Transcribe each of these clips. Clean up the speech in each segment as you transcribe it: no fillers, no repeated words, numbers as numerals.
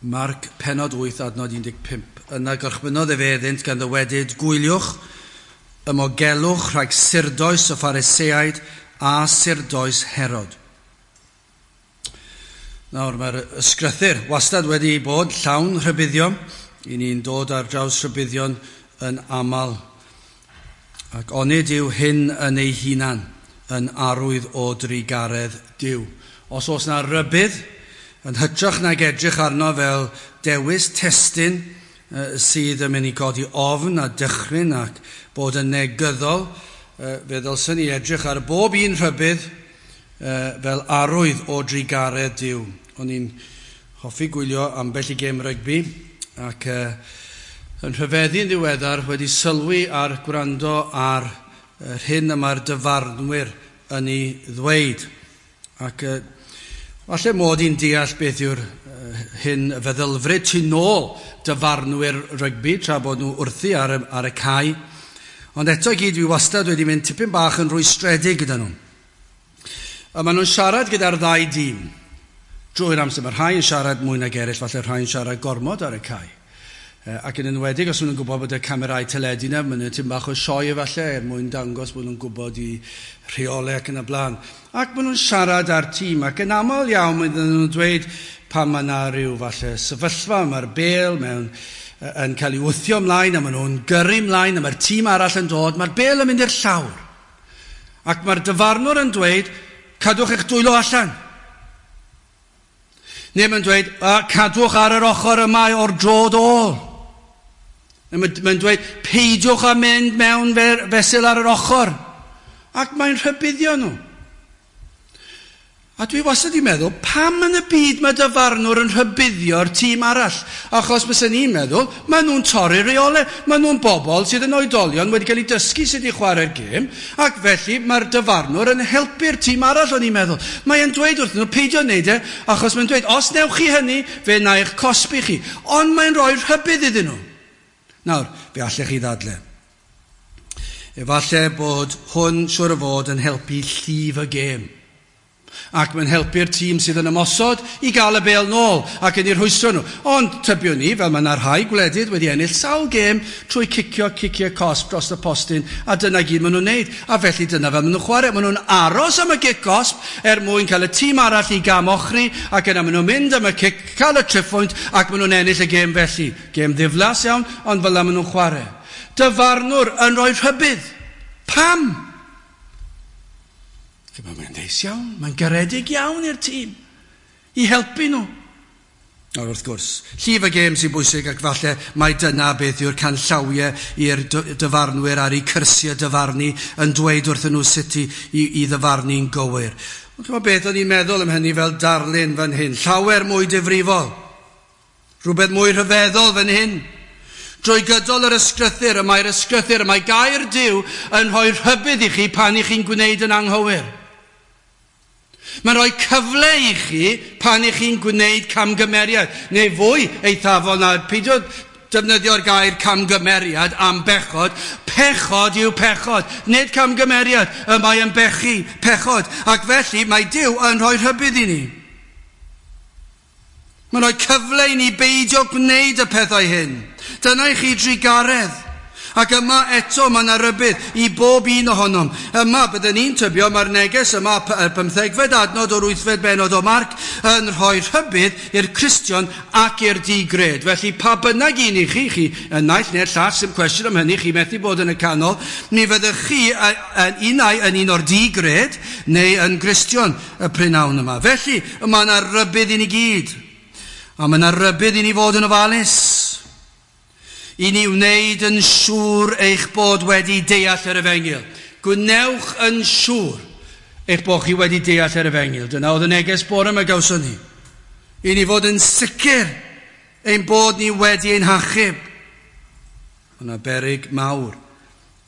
Marc pennod 8 adnod 15. Yna gorchmynnodd efe iddynt gan ddywedyd, gwyliwch, ymogelwch rhag surdoes y Phariseaid a surdoes Herod. Nawr, mae'r ysgrythur wastad wedi bod llawn rhybuddion. I ni'n dod ar draws rhybuddion yn aml. Ac onid yw hyn yn ei hunan yn arwydd o drugaredd Duw. Os oes na rybudd, yn hytrach nag edrych arno fel dewis testun sydd yn mynd i godi ofn a dychryn ac bod yn negyddol, fe ddylswn ni edrych ar bob un rhybudd fel arwydd o drugaredd Duw. O'n i'n hoffi gwylio ambell i gêm rygbi ac yn rhyfeddu'n ddiweddar wedi sylwi ar gwrando ar yr hyn y mae'r dyfarnwyr yn ei ddweud. Ac falle mod i'n deall beth yw'r hyn y feddylfryd tu nôl dyfarnwyr rygbi tra bod nhw wrthi ar y cae. Ond eto i gyd dwi wastad wedi mynd tipyn bach yn rwystredig gyda nhw. A maen nhw'n siarad gyda'r ddau dîm drwy'r amser. Mae rhai yn siarad mwy nag eraill, falle rhai yn siarad gormod ar y cae. Ac yn enwedig os maen nhw'n gwybod bod y camerâu teledu yna, maen nhw'n tipyn bach o sioe efallai er mwyn dangos bod nhw'n gwybod i rheolau ac yn y blaen. Ac maen nhw'n siarad â'r tîm ac yn aml iawn maen nhw'n dweud pan mae yna rhyw falle sefyllfa, mae'r bêl mewn yn cael ei wthio ymlaen a maen nhw'n gyrru ymlaen a mae'r tîm arall yn dod, mae'r bêl yn mynd i'r llawr. Ac mae'r dyfarnwr yn dweud, cadwch eich dwylo allan. Neu mae'n dweud, cadwch ar yr ochr yma o'r droed ôl. Mae'n dweud, peidiwch â mynd mewn fesul ar yr ochr. Ac mae'n rhybuddio nhw. A dwi wastad wedi meddwl, pam yn y byd mae dyfarnwr yn rhybuddio'r tîm arall? Achos byswn i'n meddwl, maen nhw'n torri reolau. Maen nhw'n bobl sydd yn oedolion wedi cael eu dysgu sut i chwarae'r gêm, ac felly mae'r dyfarnwr yn helpu'r tîm arall, o'n i'n meddwl. Mae'n dweud wrthyn nhw, peidio wneud e, achos mae'n dweud, os newch chi hynny, fe wna i'ch cosbi chi. Ond mae'n rhoi rhybudd iddyn nhw. Nawr, fe allech chi ddadle. Efallai bod hwn siŵr o fod yn helpu llif y gêm. Ac mae'n helpu'r tîm sydd yn ymosod i gael y bêl nôl ac yn ei rhwystro nhw. Ond tybiwn ni, fel mae yna rhai gwledydd wedi ennill sawl gêm trwy cicio ciciau cosb dros y postyn, a dyna gyd maen nhw'n neud. A felly dyna fel maen nhw'n chwarae. Maen nhw'n aros am y gic gosb er mwyn cael y tîm arall i gam ochri, ac yna maen nhw'n mynd am y cic, cael y triphwynt, ac maen nhw'n ennill y gêm felly. Gêm ddiflas iawn, ond fel yna maen nhw'n chwarae. Dyfarnwr yn rhoi rhybudd. Pam? Mae'n neis iawn, mae'n garedig iawn i'r tîm i helpu nhw. Nawr wrth gwrs, llif y gêm sy'n bwysig ac falle mai dyna beth yw'r canllawiau i'r dyfarnwyr ar eu cyrsiau dyfarnu yn dweud wrthyn nhw sut i ddyfarnu'n gywir. Ond chimod beth o'n i'n meddwl am hynny fel darlun fan hyn, llawer mwy difrifol, rhywbeth mwy rhyfeddol fan hyn. Drwy gydol yr ysgrythur, y mae'r ysgrythur, y mae gair Duw yn rhoi rhybudd i chi pan i chi'n gwneud yn anghywir. Mae'n rhoi cyfle i chi pan i chi'n gwneud camgymeriad, neu fwy eithafol na peidio defnyddio'r gair camgymeriad am bechod. Pechod yw pechod, nid camgymeriad. Y mae yn bechu pechod, ac felly mae Duw yn rhoi rhybudd i ni. Mae'n rhoi cyfle i ni beidio gwneud y pethau hyn. Dyna i chi drugaredd. Ac yma eto mae yna rybudd i bob un ohonom. Yma, byddwn ni'n tybio, mae'r neges yma, y 15fed adnod o'r 8fed bennod o Marc, yn rhoi rhybudd i'r Cristion ac i'r digred. Felly, pa bynnag un i chi, chi y naill neu'r llall, sy'n cwestiwn am hynny, chi methu bod yn y canol, mi fyddwch chi yn unai yn un o'r digred neu yn Gristion y prynhawn yma. Felly, mae yna rybudd i ni gyd. A mae yna rybudd i ni fod yn ofalus. I ni wneud yn siŵr eich bod wedi deall yr efengyl. Gwnewch yn siŵr eich bod chi wedi deall yr efengyl. Dyna oedd y neges bore yma gawson ni. I ni fod yn sicr ein bod ni wedi ein hachub. Mae yna beryg mawr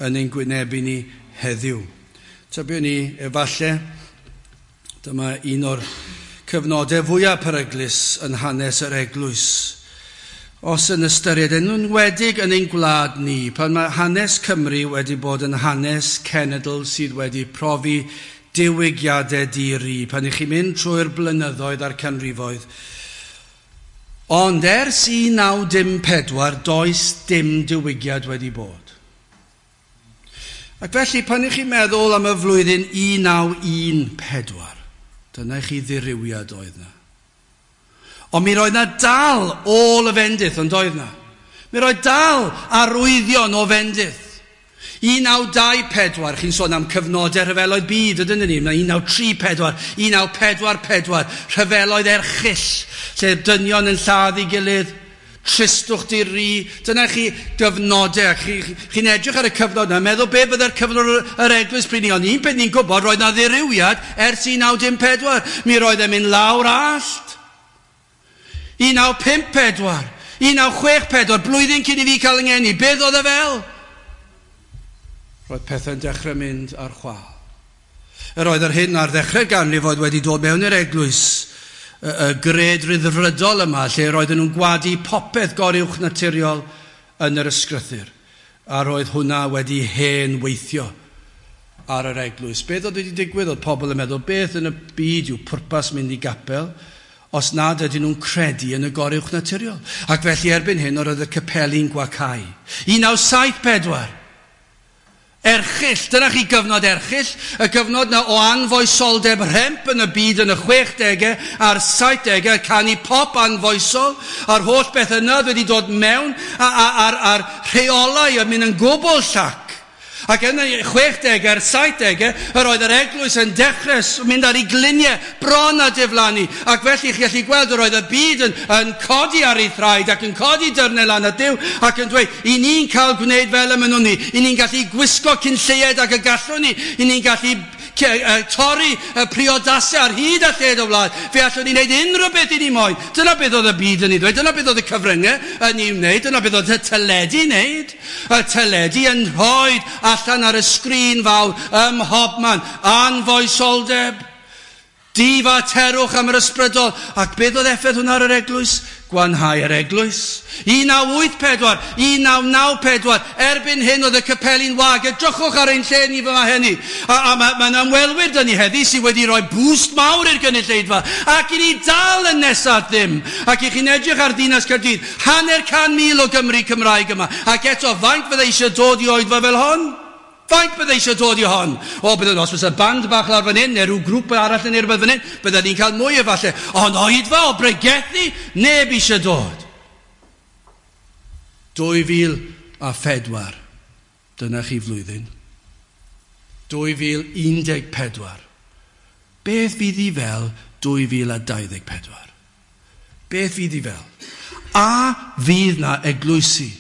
yn ein gwynebu ni heddiw. Tybiwn ni efallai, dyma un o'r cyfnodau fwyaf peryglus yn hanes yr eglwys. Os yn ystyried, yn enwedig yn ein gwlad ni, pan mae hanes Cymru wedi bod yn hanes cenedl sydd wedi profi diwygiadau di-ri, pan ych chi'n mynd trwy'r blynyddoedd a'r canrifoedd, Ond ers 1914, does dim diwygiad wedi bod. Ac felly, pan ych chi'n meddwl am y flwyddyn 1914, dyna i chi ddirywiad oedd na. Ond mi roedd na dal ôl y fendith, ond oedd na. Mi roedd dal arwyddion o fendith. 1924, chi'n sôn am cyfnodau rhyfeloedd byd, ydyn ni? Mae 1934, 1944, rhyfeloedd erchyll, lle dynion yn lladd ei gilydd, tristwch di-ri. Dyna chi gyfnodau. Chi'n edrych ar y cyfnod yna, meddwl be byddai'r cyfnod yr eglwys pryd ni. Ond un peth ni'n gwybod, roedd na ddirywiad ers 1914. Mi roedd e'n mynd lawr allt. 1954, 1964, blwyddyn cyn i fi cael yng ngeni. Beth oedd e fel? Roedd pethau'n dechrau mynd ar chwâl. Yr oedd yr hyn ar ddechrau'r ganrif oedd wedi dod mewn i'r eglwys, y gred ryddfrydol yma, lle roedden nhw'n gwadu popeth goruwch naturiol yn yr ysgrythur. A roedd hwnna wedi hen weithio ar yr eglwys. Beth oedd wedi digwydd? Oedd pobl yn meddwl, beth yn y byd yw pwrpas mynd i gapel os nad ydyn nhw'n credu yn y goruwch naturiol? Ac felly erbyn hyn, oedd y capeli'n gwacau. 1974. Erchyll, dyna chi gyfnod erchyll, y gyfnod na o anfoesoldeb rhemp yn y byd yn y 60au a'r 70au, canu pop anfoesol, a'r holl beth yna wedi dod mewn, a'r rheolau yn mynd yn gwbl llac. Ac yn y 60au a'r 70au, yr oedd yr eglwys yn dechrau mynd ar ei gliniau bron a diflannu. Ac felly chi gallu gweld yr oedd y byd yn codi ar ei thraed ac yn codi dyrnau lan at Duw ac yn dweud, i ni'n cael gwneud fel y mynnwn ni, i ni'n gallu gwisgo cyn lleied ac y gallwn ni, i ni'n gallu torri y priodasau ar hyd a lled o wlad. Fe allwn ni wneud unrhyw beth i ni moyn. Dyna beth oedd y byd yn ei ddweud, dyna beth oedd y cyfryngau yn ei wneud, dyna beth oedd y teledu yn wneud. Y teledu yn rhoi allan ar y sgrin fawr ym mhobman, anfoesoldeb, difaterwch am yr ysbrydol. Ac beth oedd effaith hwnna ar yr eglwys? Gwanhau yr eglwys. 1984, 1994, erbyn hyn oedd y capeli'n wag. Edrychwch ar ein lle ni fyma hynny. A mae'n ymwelwyr dyn ni heddi sydd wedi rhoi boost mawr i'r gynulleidfa. Ac i ni dal yn nesaf ddim. Ac i chi'n edrych ar ddinas Caerdydd, 500,000 o Gymru Cymraeg yma. Ac eto, faint fydde eisiau dod i oedfa fel hon? Faint bydde eisiau dod i hon? O, byddwn, os fysa band bach lawr fan hyn, neu rhyw grŵp arall yn rhywbeth fan hyn, byddwn ni'n cael mwy efallai. Ond oedfa o bregethu, neb eisiau dod. 2004, dyna chi flwyddyn. 2014. Beth fydd i fel 2024? Beth fydd i fel? A fydd na eglwysi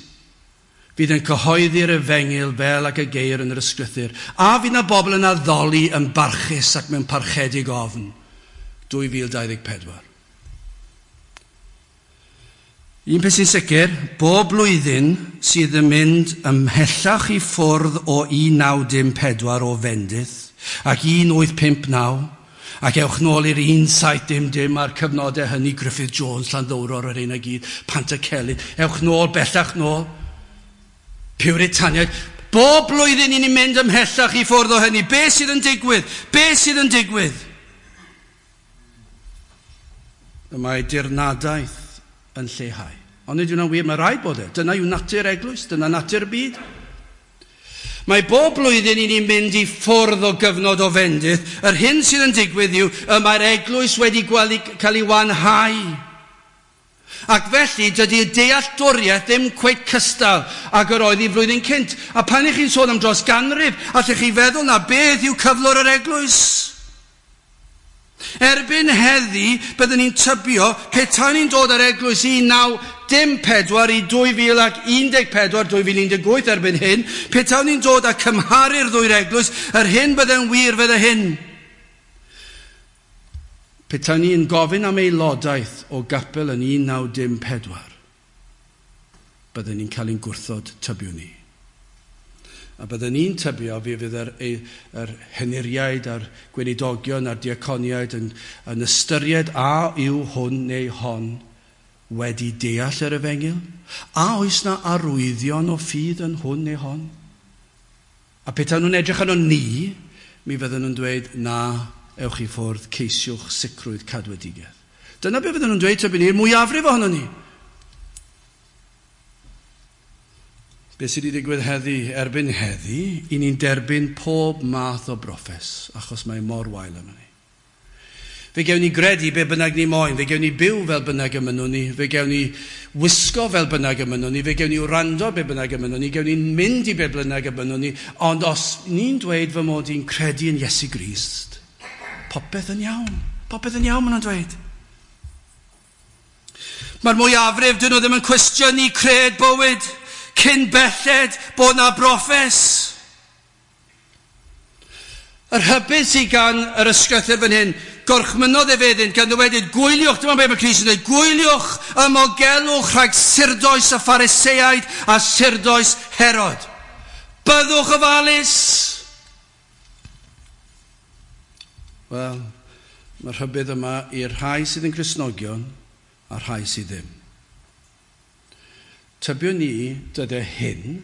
fydd yn cyhoeddi'r efengyl fel ac y geir yn yr ysgrythur? A fydd na bobl yn addoli yn barchus ac mewn parchedig ofn? 2024. Un peth sy'n sicr, bob blwyddyn sydd yn mynd ymhellach i ffwrdd o 1914 o fendith ac 1859, ac ewch nôl i'r 1700 a'r cyfnodau hynny, Griffith Jones, Llanddowror, yr un ag gyd, Pantycelyn, ewch nôl, bellach nôl, Puritaniaid. Bob blwyddyn i ni'n mynd ymhellach i ffwrdd o hynny. Be sydd yn digwydd? Be sydd yn digwydd? Y mae dirnadaeth yn lleihau. Ond nid yw'n wir, mae rhaid bod e. Dyna yw natur eglwys, dyna natur y byd. Mae bob blwyddyn i ni'n mynd i ffwrdd o gyfnod o fendith. Yr hyn sydd yn digwydd yw y mae'r eglwys wedi cael ei wanhau. Ac felly, dydy'r dealltwriaeth ddim cweit cystal ag yr oedd i flwyddyn cynt. A pan ych chi'n sôn am dros ganrif, allech chi feddwl na beth yw cyflwr yr eglwys? Erbyn heddi, byddwn ni'n tybio, petai ni'n dod ar eglwys 1914 i 2014, 2018 erbyn hyn, petai ni'n dod a cymharu'r ddwy'r eglwys, yr hyn bydde'n wir fydde hyn. Petai ni'n gofyn am aelodaeth o gapel yn 1914, byddwn ni'n cael ein gwrthod tybio ni. A byddwn ni'n tybio fi fydd yr henuriaid a'r gweinidogion a'r diaconiaid yn ystyried a yw hwn neu hon wedi deall yr efengyl? A oes na arwyddion o ffydd yn hwn neu hon? A petai nhw'n edrych arno ni, mi fydden nhw'n dweud, na, ewch i ffwrdd, ceisiwch sicrwydd cadwedigaeth. Dyna be fydden nhw'n dweud, tybyn ni'r mwyafrif ohono ni. Be sydd wedi digwydd heddi, erbyn heddi, i ni'n derbyn pob math o broffes, achos mae mor wael yma ni. Fe gewn ni gredu be bynnag ni moyn, fe gewn ni byw fel bynnag y mynnwn ni, fe gewn ni wisgo fel bynnag y mynnwn ni, fe gewn ni wrando be bynnag y mynnwn ni, gewn ni mynd i be bynnag y mynnwn ni, ond os ni'n dweud fy mod i'n credu yn Iesu Grist, popeth yn iawn, popeth yn iawn maen nhw'n dweud. Mae'r mwyafrif, dyn nhw ddim yn cwestiynu cred bywyd cyn belled bod na broffes. Y rhybudd sydd gan yr ysgrythyr fan hyn, gorchmynodd ef iddynt gan ddywedyd, gwyliwch, dyma beth mae Crist yn dweud, gwyliwch ymogelwch rhag surdoes y Phariseaid a surdoes Herod. Byddwch ofalus. Wel, mae'r rhybudd yma i'r rhai sydd yn Gristnogion a'r rhai sydd ddim. Tybiwn ni dyddiau hyn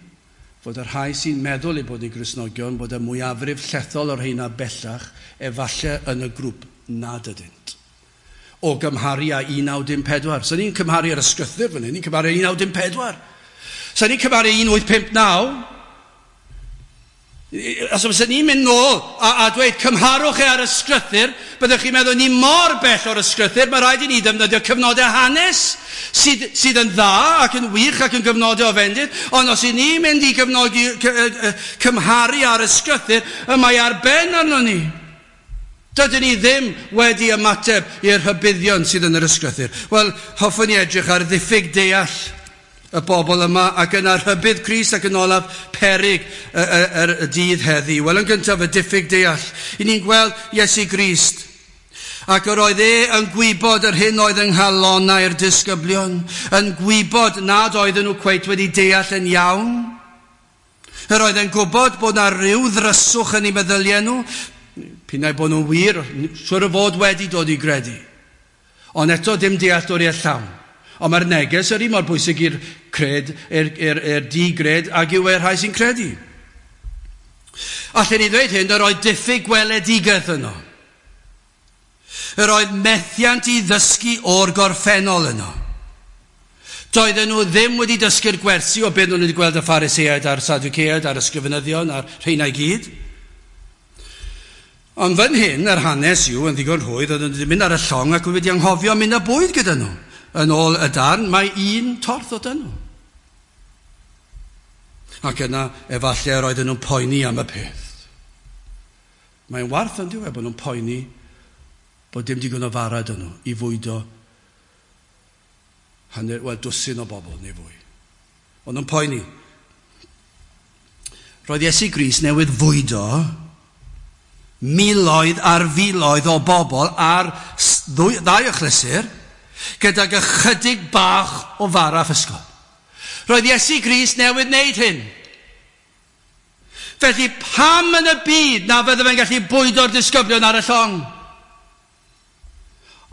fod y rhai sy'n meddwl eu bod yn Gristnogion bod y mwyafrif llethol o'r rheina bellach efallai yn y grŵp nad ydynt. O gymharu â 1914. So ni'n cymharu ar ysgrythyr fan hyn, ni'n cymharu 1914. So ni'n cymharu 1859. Os fysa ni'n mynd nôl a dweud cymharwch e ar ysgrythyr, byddwch chi'n meddwl ni mor bell o'r ysgrythyr, mae rhaid i ni ddefnyddio cyfnodau hanes sydd yn dda ac yn wych ac yn gyfnodau o fendith, ond os i ni'n mynd i gyfnogi, cymharu ar ysgrythyr, y mae ar ben arno ni. Dydyn ni ddim wedi ymateb i'r rhybuddion sydd yn yr ysgrythyr. Wel, hoffwn i edrych ar ddiffyg deall y bobl yma ac yna rhybudd Crist ac yn olaf peryg y dydd heddi. Wel, yn gyntaf, y diffyg deall. I ni'n gweld Iesu Grist. Ac yr oedd e yn gwybod yr hyn oedd yng nghalonnau'r disgyblion, yn gwybod nad oedden nhw cweit wedi deall yn iawn. Yr oedd e'n gwybod bod na ryw ddryswch yn eu meddyliau nhw, pinnau bod nhw'n wir, siwr o fod wedi dod i gredu. Ond eto dim dealltwriaeth llawn. Ond mae'r neges yr un mor bwysig i'r cred, i'r di-gred ag yw e'r rhai sy'n credu. Allen ni ddweud hyn, yr oedd diffyg gweledigaeth yno. Yr oedd methiant i ddysgu o'r gorffennol yno. Doedden nhw ddim wedi dysgu'r gwersi o beth nhw'n wedi gweld y Phariseaid a'r Sadduceaid a'r ysgrifenyddion a'r rheina i gyd. Ond fan hyn, yr hanes yw, yn ddigon rhwydd, oedden nhw wedi mynd ar y llong ac wedi anghofio mynd â bwyd gyda nhw. Yn ôl y darn, mae un torth o dyn nhw. Ac yna, efallai yr oedden nhw'n poeni am y peth. Mae'n warth yn diwedd bod nhw'n poeni bod dim digon o fara dyn nhw i fwydo hanner, wel, dwsin o bobl neu fwy. Ond nhw'n poeni. Roedd Iesu Grist newydd fwydo miloedd ar filoedd o bobl ar ddau achlysur gydag ychydig bach o fara physgod. Roedd Iesu Grist newydd wneud hyn. Felly pam yn y byd na fydde fe'n gallu bwydo'r disgyblion ar y llong?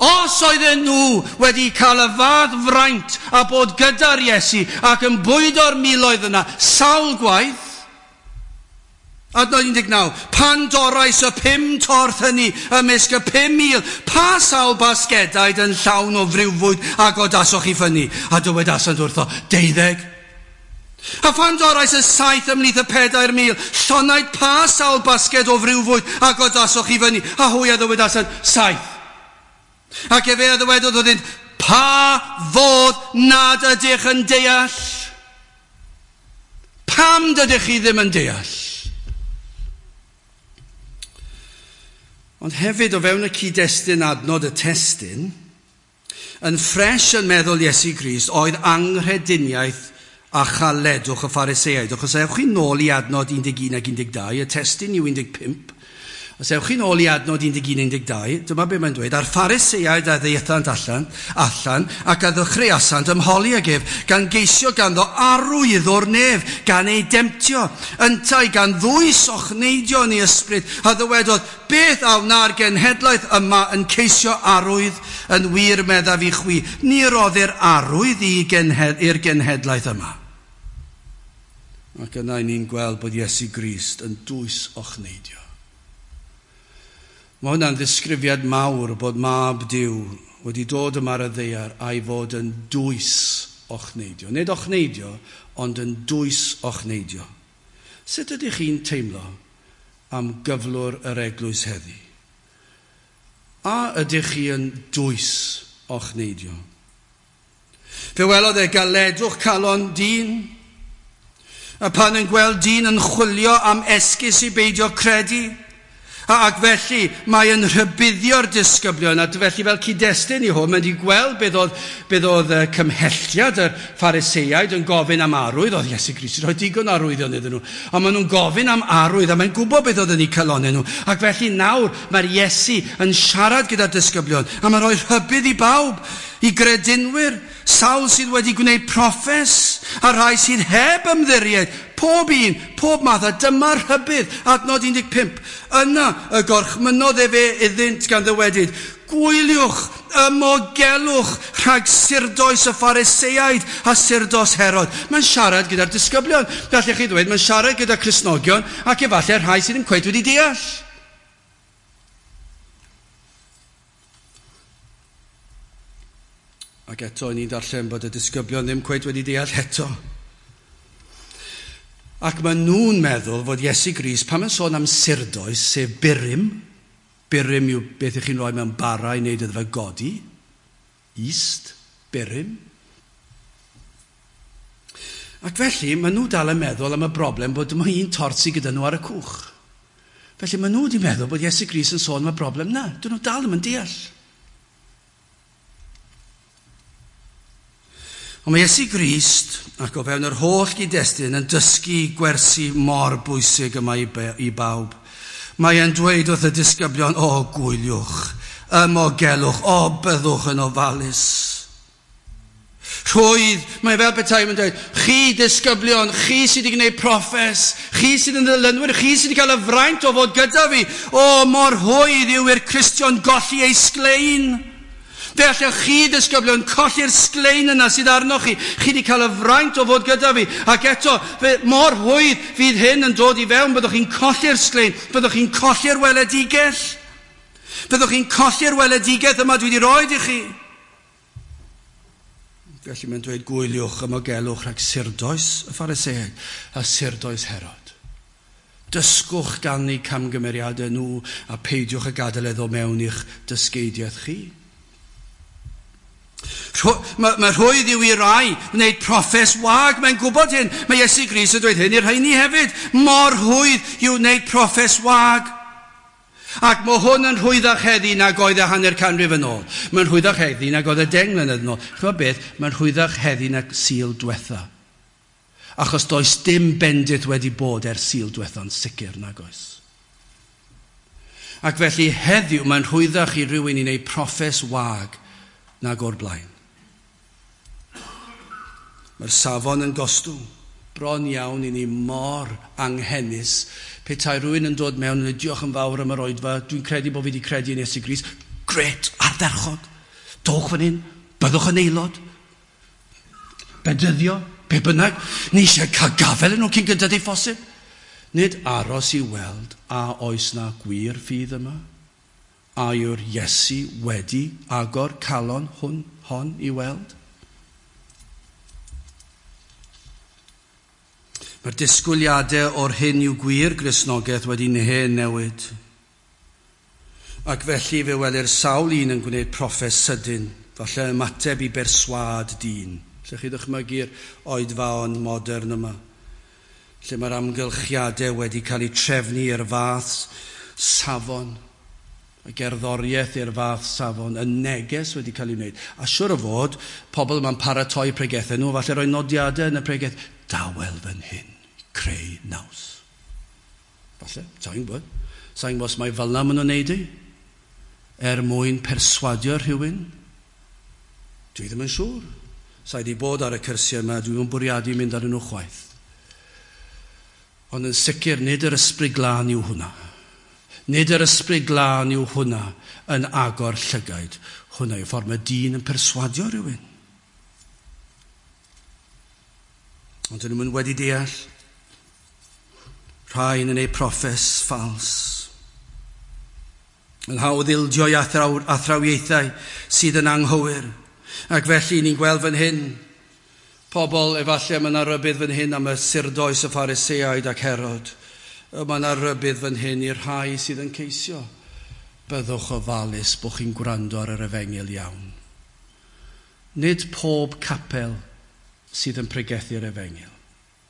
Os oedden nhw wedi cael y fath fraint a bod gyda'r Iesu ac yn bwydo'r miloedd yna sawl gwaith, adnod 19, pan dorais y 5 torth hynny ymysg y 5,000, pa sawl basgedaid yn llawn o friwfwyd a godasoch i ffynnu? A dywedasant wrtho, 12. A phan dorais y 7 ymhlith y 4,000, llonaid pa sawl basged o friwfwyd a godasoch i fyny? A hwy a ddywedasant, 7. Ac efe a ddywedodd wrthynt, pa fodd nad ydych yn deall? Pam dydych chi ddim yn deall? Ond hefyd o fewn y cyd-destun adnod y testun, yn ffres yn meddwl Iesu Grist oedd anghrediniaeth a chaledwch y Phariseaid. Achos ewch chi nôl i adnod 11 ac 12, y testun yw 15. Os ewch chi nôl i adnod 11 12, dyma be mae'n dweud, a'r Phariseaid a ddaethant allan ac a ddechreuasant ymholi ag ef, gan geisio ganddo arwydd o'r nef, gan ei demtio, yntau gan ddwys ochneidio yn ei ysbryd, a ddywedodd, beth a wna'r genhedlaeth yma yn ceisio arwydd, yn wir meddaf i chwi, ni roddir arwydd i'r genhedlaeth yma. Ac yna ni'n gweld bod Iesu Grist yn dwys ochneidio. Mae hwnna'n ddisgrifiad mawr bod mab Duw wedi dod yma ar y ddaear a'i fod yn dwys ochneidio. Nid ochneidio, ond yn dwys ochneidio. Sut ydych chi'n teimlo am gyflwr yr eglwys heddi? A ydych chi yn dwys ochneidio? Fe welodd e galedwch calon dyn, a pan yn gweld dyn yn chwilio am esgus i beidio credu, ac felly mae yn rhybuddio'r disgyblion, a felly fel cyd-destun i hwn, mae'n wedi gweld beth oedd cymhelliad y Phariseiaid yn gofyn am arwydd. Oedd Iesu Grist wedi rhoi digon arwyddion iddyn nhw. Ond maen nhw'n gofyn am arwydd, a mae'n gwybod beth oedd yn eu calonnau nhw. Ac felly nawr mae'r Iesu yn siarad gyda'r disgyblion, a mae'n rhoi rhybudd i bawb, i gredinwyr, sawl sydd wedi gwneud proffes, a rhai sydd heb ymddiried, pob un, pob math, a dyma'r rhybudd, adnod 15. Yna y gorchmynnodd efe iddynt gan ddywedyd, gwyliwch, ymogelwch rhag surdoes y Phariseiaid a surdos Herod. Mae'n siarad gyda'r disgyblion. Gallech chi ddweud, mae'n siarad gyda Cristnogion ac efallai rhai sydd ddim cweit wedi deall. Ac eto, ni'n darllen bod y disgyblion ddim cweit wedi deall eto. Ac maen nhw'n meddwl fod Iesu Grist, pan mae'n sôn am surdoes, sef burum, burum yw beth ych chi'n rhoi mewn bara i wneud iddo fe godi, yeast, burum. Ac felly, maen nhw dal yn meddwl am y broblem bod dim un tort sydd gyda nhw ar y cwch. Felly maen nhw wedi meddwl bod Iesu Grist yn sôn am y broblem na. Dyn nhw dal ddim yn deall. Ond mae Iesu Grist, ac o fewn yr holl gyd-destun, yn dysgu gwersi mor bwysig yma i bawb. Mae e'n dweud wrth y disgyblion, o gwyliwch, ymogelwch, o byddwch yn ofalus. Rhwydd, mae fel petai yn dweud, chi disgyblion, chi sydd wedi gwneud proffes, chi sydd yn ddilynwyr, chi sydd wedi cael y fraint o fod gyda fi, o mor rhwydd yw i'r Cristion golli ei sglein. Fe allech chi disgyblion colli'r sglein yna sydd arnoch chi. Chi wedi cael y fraint o fod gyda fi. Ac eto, mor rhwydd fydd hyn yn dod i fewn. Byddwch chi'n colli'r sglein. Byddwch chi'n colli'r weledigaeth. Byddwch chi'n colli'r weledigaeth yma dwi wedi rhoi i chi. Felly mae'n dweud gwyliwch, ymogelwch rhag surdoes y Phariseaid a surdoes Herod. Dysgwch gan eu camgymeriadau nhw a peidiwch y gadael iddo mewn i'ch dysgeidiaeth chi. Mae rhwydd yw i rai wneud proffes wag, mae'n gwybod hyn. Mae Iesu Grist yn dweud hyn i'r rheini hefyd. Mor rhwydd yw wneud proffes wag. Ac mae hwn yn rhwyddach heddi nag oedd e hanner canrif yn ôl. Mae'n rhwyddach heddi nag oedd e 10 mlynedd yn ôl. Ch'mod beth? Mae'n rhwyddach heddi nag Sul diwetha. Achos does dim bendith wedi bod ers Sul diwetha'n sicr nag oes. Ac felly heddiw mae'n rhwyddach i rywun i wneud proffes wag nag o'r blaen. Mae'r safon yn gostwng. Bron iawn i ni mor anghenus. Petai rhywun yn dod mewn yn dweud, diolch yn fawr am yr oedfa, dwi'n credu bod fi wedi credu yn Iesu Grist. Gret, ardderchog. Dowch fan hyn, byddwch yn aelod. Bedyddio, be bynnag. Ni eisiau cael gafael yn nhw cyn gyntaf ei phosib. Nid aros i weld a oes na gwir ffydd yma. A yw'r Iesu wedi agor calon hon i weld? Mae'r disgwyliadau o'r hyn yw gwir Gristnogaeth wedi hen newid. Ac felly fe welir sawl un yn gwneud proffes sydyn, falle ymateb i berswâd dyn. Lle chi ddychmygu'r oedfaon modern yma, lle mae'r amgylchiadau wedi cael eu trefnu i'r fath safon, y gerddoriaeth i'r fath safon, y neges wedi cael ei wneud. A siwr o fod, pobl yma'n paratoi pregethau nhw, falle rhoi nodiadau yn y pregeth, dawel fan hyn, creu naws. Falle, sa'n gwybod. Sa'n gwybod os mae fel 'na maen nhw'n neud i, er mwyn perswadio rhywun. Dwi ddim yn siŵr. Sa i wedi bod ar y cyrsiau yma, dwi ddim yn bwriadu mynd arnyn nhw chwaith. Ond yn sicr, nid yr ysbryd glân yw hwnna. Nid yr ysbryd glân yw hwnna yn agor llygaid. Hwnna yw ffordd mae dyn yn perswadio rhywun. Ond dyn nhw'n wedi deall. Rhain yn eu proffes ffals. Yn hawdd ildio i athrawiaethau sydd yn anghywir. Ac felly ni'n gweld fan hyn Pobl, efallai mae yna rybudd fan hyn am y surdoes y Phariseaid ac Herod. Mae yna rybudd fan hyn i'r rhai sydd yn ceisio. Byddwch ofalus bod chi'n gwrando ar yr efengyl iawn. Nid pob capel sydd yn pregethu'r efengyl.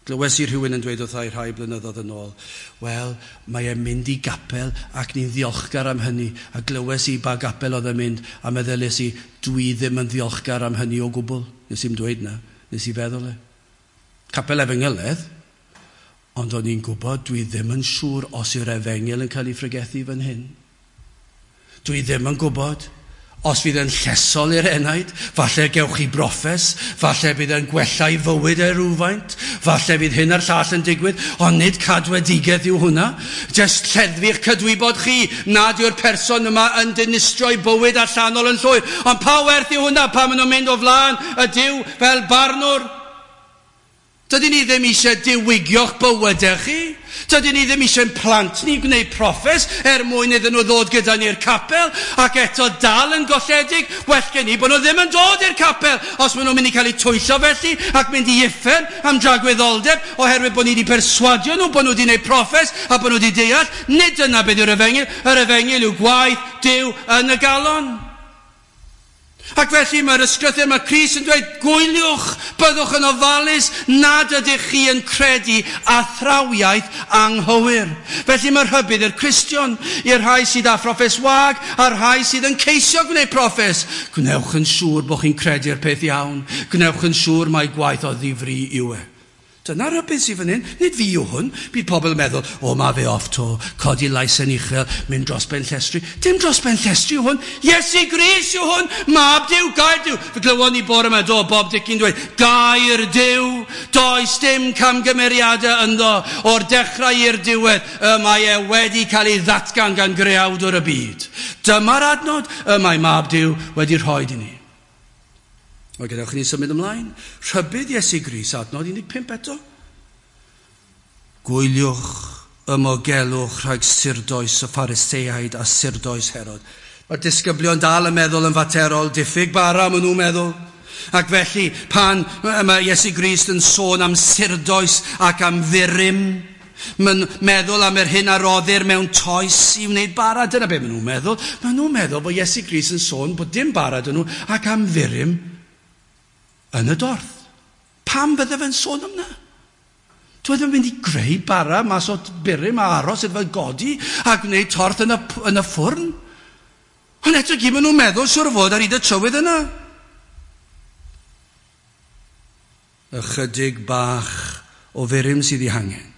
Glywes i rhywun yn dweud wrtha i rhai blynyddoedd yn ôl, wel, mae e'n mynd i gapel ac ni'n ddiolchgar am hynny. A glywes i ba gapel oedd e'n mynd, a meddyliais i, dwi ddim yn ddiolchgar am hynny o gwbl. Nes i'm dweud na, nes i feddwl e. Capel efengyledd, ond o'n i'n gwybod dwi ddim yn siŵr os yw'r efengyl yn cael ei phregethu fan hyn. Dwi ddim yn gwybod os fydd yn llesol i'r enaid, falle gewch chi broffes, falle bydd yn gwella i fywyd e rhywfaint, falle bydd hyn a'r llall yn digwydd, ond nid cadwedigaeth yw hwnna. Jyst lleddfu'ch cydwybod chi nad yw'r person yma yn dinistrio'i bywyd allanol yn llwyr. Ond pa werth yw hwnna pan maen nhw'n mynd o flaen y Duw fel barnwr? Dydyn ni ddim eisiau diwygio'ch bywydau chi. Dydyn ni ddim eisiau'n plant ni gwneud proffes er mwyn iddyn nhw ddod gyda ni'r capel ac eto dal yn golledig. Well gen i bod nhw ddim yn dod i'r capel os maen nhw'n mynd i cael eu twyllo felly ac mynd i uffern am dragwyddoldeb oherwydd bod ni wedi perswadio nhw bod nhw wedi gwneud proffes a bod nhw wedi deall. Nid dyna beth yw'r efengyl. Yr efengyl yw gwaith Duw yn y galon. Ac felly mae'r ysgrythur, mae Crist yn dweud, gwyliwch, byddwch yn ofalus nad ydych chi yn credu athrawiaeth anghywir. Felly mae rhybudd i'r Cristion, i'r rhai sydd â phroffes wag, a'r rhai sydd yn ceisio gwneud proffes. Gwnewch yn siŵr bod chi'n credu'r peth iawn. Gwnewch yn siŵr mai gwaith o ddifri yw e. Dyna rhybudd sydd fan hyn. Nid fi yw hwn. Bydd pobl yn meddwl, o, mae fe off to, codi lais yn uchel, mynd dros ben llestri. Dim dros ben llestri yw hwn. Iesu Grist yw hwn. Mab Duw, gair Duw. Fe glywon ni bore yma, do, Bob Dicki'n dweud, gair Duw. Does dim camgymeriadau ynddo. O'r dechrau i'r diwedd, y mae e wedi cael ei ddatgan gan greawdwr y byd. Dyma'r adnod y mae Mab Duw wedi rhoi i ni. O, gadewch i ni symud ymlaen. Rhybudd Iesu Grist, adnod 15 eto. Gwyliwch, ymogelwch rhag surdoes y Phariseaid a surdoes Herod. Mae'r disgyblion dal yn meddwl yn faterol, diffyg bara maen nhw'n meddwl. Ac felly, pan mae Iesu Grist yn sôn am surdoes ac am furum, mae'n meddwl am yr hyn a roddir mewn toes i wneud bara. Dyna be maen nhw'n meddwl. Maen nhw'n meddwl bod Iesu Grist yn sôn bod dim bara dyn nhw ac am furum yn y dorth. Pam bydde fe'n sôn am na? Dwi ddim yn mynd i greu bara mas o burum a aros iddo fe godi a gwneud torth yn y ffwrn. Ond eto gyd maen nhw'n meddwl siŵr o fod ar hyd y trywydd yna. Ychydig bach o furum sydd ei hangen.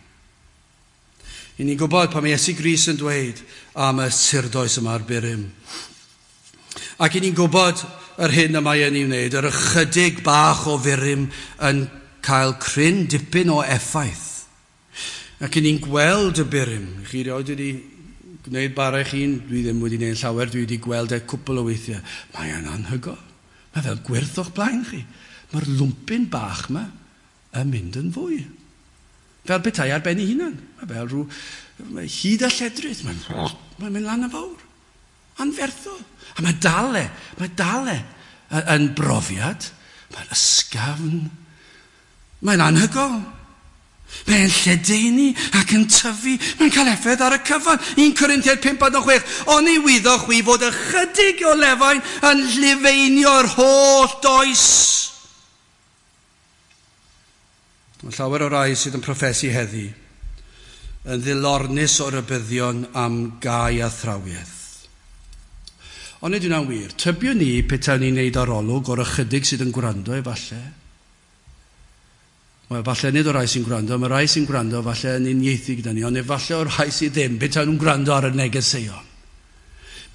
I ni'n gwybod pan mae Iesu Grist yn dweud am y surdoes yma ar burum. Ac i ni'n gwybod yr hyn y mae e'n ei wneud, yr ychydig bach o furum yn cael cryn dipyn o effaith. Ac i ni'n gweld y burum. Chi rioed wedi gwneud bara eich hun? Dwi ddim wedi gwneud llawer, dwi wedi gweld e cwpl o weithiau. Mae e'n anhygoel. Mae fel gwyrth o'ch blaen chi. Mae'r lwmpyn bach yma yn mynd yn fwy. Fel petai ar ben ei hunan. Mae fel rhyw hyd a lledrith. Mae'n mynd lan yn fawr. Anferthol. A mae dal e yn brofiad. Mae'n ysgafn. Mae'n anhygoel. Mae'n lledaenu ac yn tyfu. Mae'n cael effaith ar y cyfan. 1 Corinthiaid 5:6. Oni wyddoch chwi fod ychydig o lefain yn llefeinio'r holl does. Mae llawer o rai sydd yn proffesu heddi yn ddilornus o rybuddion am gau athrawiaeth. Ond nid yw'n wir. Tybiwn ni petawn ni'n neud arolwg o'r ychydig sydd yn gwrando efallai. Wel, falle nid o'r rhai sy'n gwrando, mae rhai sy'n gwrando falle yn uniaethu gyda ni, ond efallai o'r rhai sydd ddim, petawn nhw'n gwrando ar y negeseuon.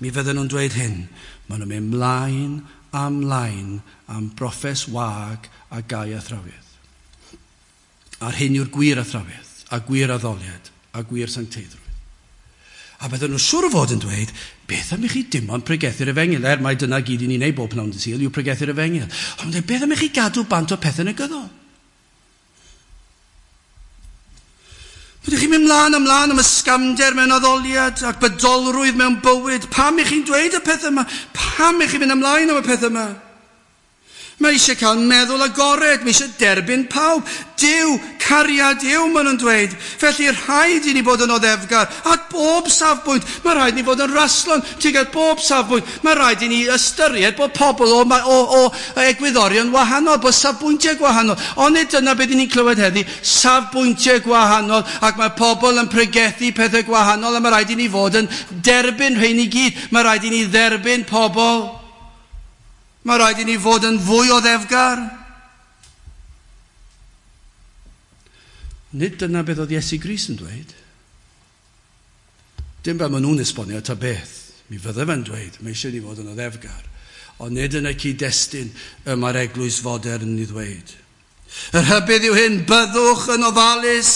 Mi fydden nhw'n dweud hyn, maen nhw'n mynd mlaen a mlaen am broffes wag a gau athrawiaeth. A'r hyn yw'r gwir athrawiaeth, a gwir addoliad, a gwir sancteiddrwydd. A bydden nhw siŵr o fod yn dweud, beth am i chi dim ond pregethu'r efengyl? Er mai dyna gyd i ni'n neud bob pnawn dydd Sul yw pregethu'r efengyl. Ond beth am i chi gadw bant o pethau negyddol? Ydych chi'n mynd mlaen ymlaen am ysgamder mewn addoliad ac bydolrwydd mewn bywyd? Pam i chi'n dweud y pethau yma? Pam i chi'n mynd ymlaen am y pethau yma? Mae eisiau cael meddwl agored, mae eisiau derbyn pawb. Duw, cariad yw, maen nhw'n dweud. Felly rhaid i ni bod yn oddefgar at bob safbwynt. Mae rhaid i ni fod yn raslon tuag at bob safbwynt. Mae rhaid i ni ystyried bod pobl o egwyddorion wahanol, bod safbwyntiau gwahanol. Ond nid dyna beth ni'n clywed heddi, safbwyntiau gwahanol, ac mae pobl yn pregethu pethau gwahanol, a mae rhaid i ni fod yn derbyn rhain i gyd. Mae rhaid i ni dderbyn pobl. Mae rhaid i ni fod yn fwy oddefgar. Nid dyna beth oedd Iesu Grist yn dweud. Dim fel maen nhw'n esbonio ta beth. Mi fydde fe'n dweud, mae eisiau ni fod yn oddefgar. Ond nid yn y cyd-destun y mae'r eglwys fodern i ddweud. Y rhybudd yw hyn, byddwch yn ofalus.